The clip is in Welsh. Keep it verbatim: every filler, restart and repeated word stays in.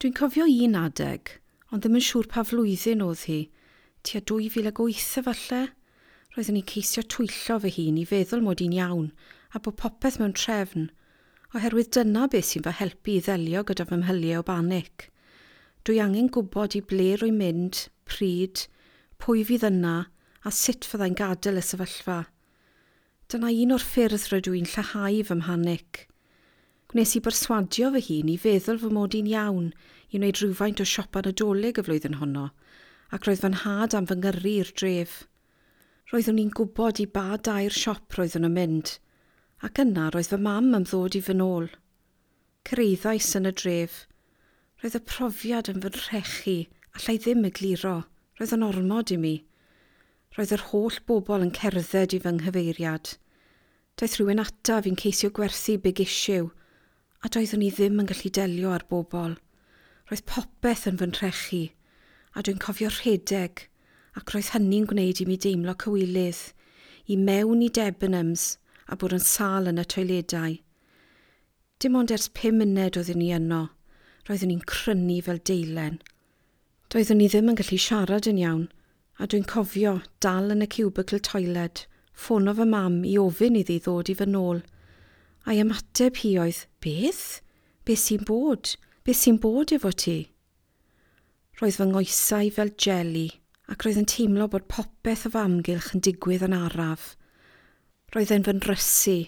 Dwi'n cofio un adeg, ond ddim yn siŵr pa flwyddyn oedd hi, tua dwy fil ag wyth efallai. Roeddwn i'n ceisio twyllo fy hun i feddwl mod i'n iawn a bod popeth mewn trefn, oherwydd dyna beth sy'n fy helpu i ddelio gyda fy mhyliau o banic. Dwi angen gwybod i ble rwy'n mynd, pryd, pwy fydd yna a sut fyddai'n gadael y sefyllfa. Dyna un o'r ffyrdd rydw i'n lleihau fy mhanic. Gwnes i berswadio fy hun i feddwl fy mod i'n iawn i wneud rhywfaint o siopa Nadolig y flwyddyn honno, ac roedd fy nhad am fy ngyrru i'r dref. Roeddwn i'n gwybod i ba dair siop roeddwn yn mynd, ac yna roedd fy mam am ddod i fy nôl. Cyrhaeddais yn y dref. Roedd y profiad yn fy nhrechu, allai ddim egluro. Roedd yn ormod i mi. Roedd yr holl bobl yn cerdded i fy nghyfeiriad. Daeth rhywun ataf i'n ceisio gwerthu Big Issue, a doeddwn i ddim yn gallu delio â'r bobl. Roedd popeth yn fy nhrechu, a dwi'n cofio rhedeg, ac roedd hynny'n gwneud i mi deimlo cywilydd, i mewn i Debenhams a bod yn sâl yn y toiledau. Dim ond ers pum munud oeddwn i yno, roeddwn i'n crynu fel deilen. Doeddwn i ddim yn gallu siarad yn iawn, a dwi'n cofio dal yn y cubicle toilet, ffono fy mam i ofyn iddi ddod i fy nôl. A'i ymateb hi oedd, "Beth? Beth sy'n bod? Beth sy'n bod efo ti?" Roedd fy nghoesau fel jeli, ac roedd yn teimlo bod popeth o fy amgylch yn digwydd yn araf. Roedd e'n fy nrysu.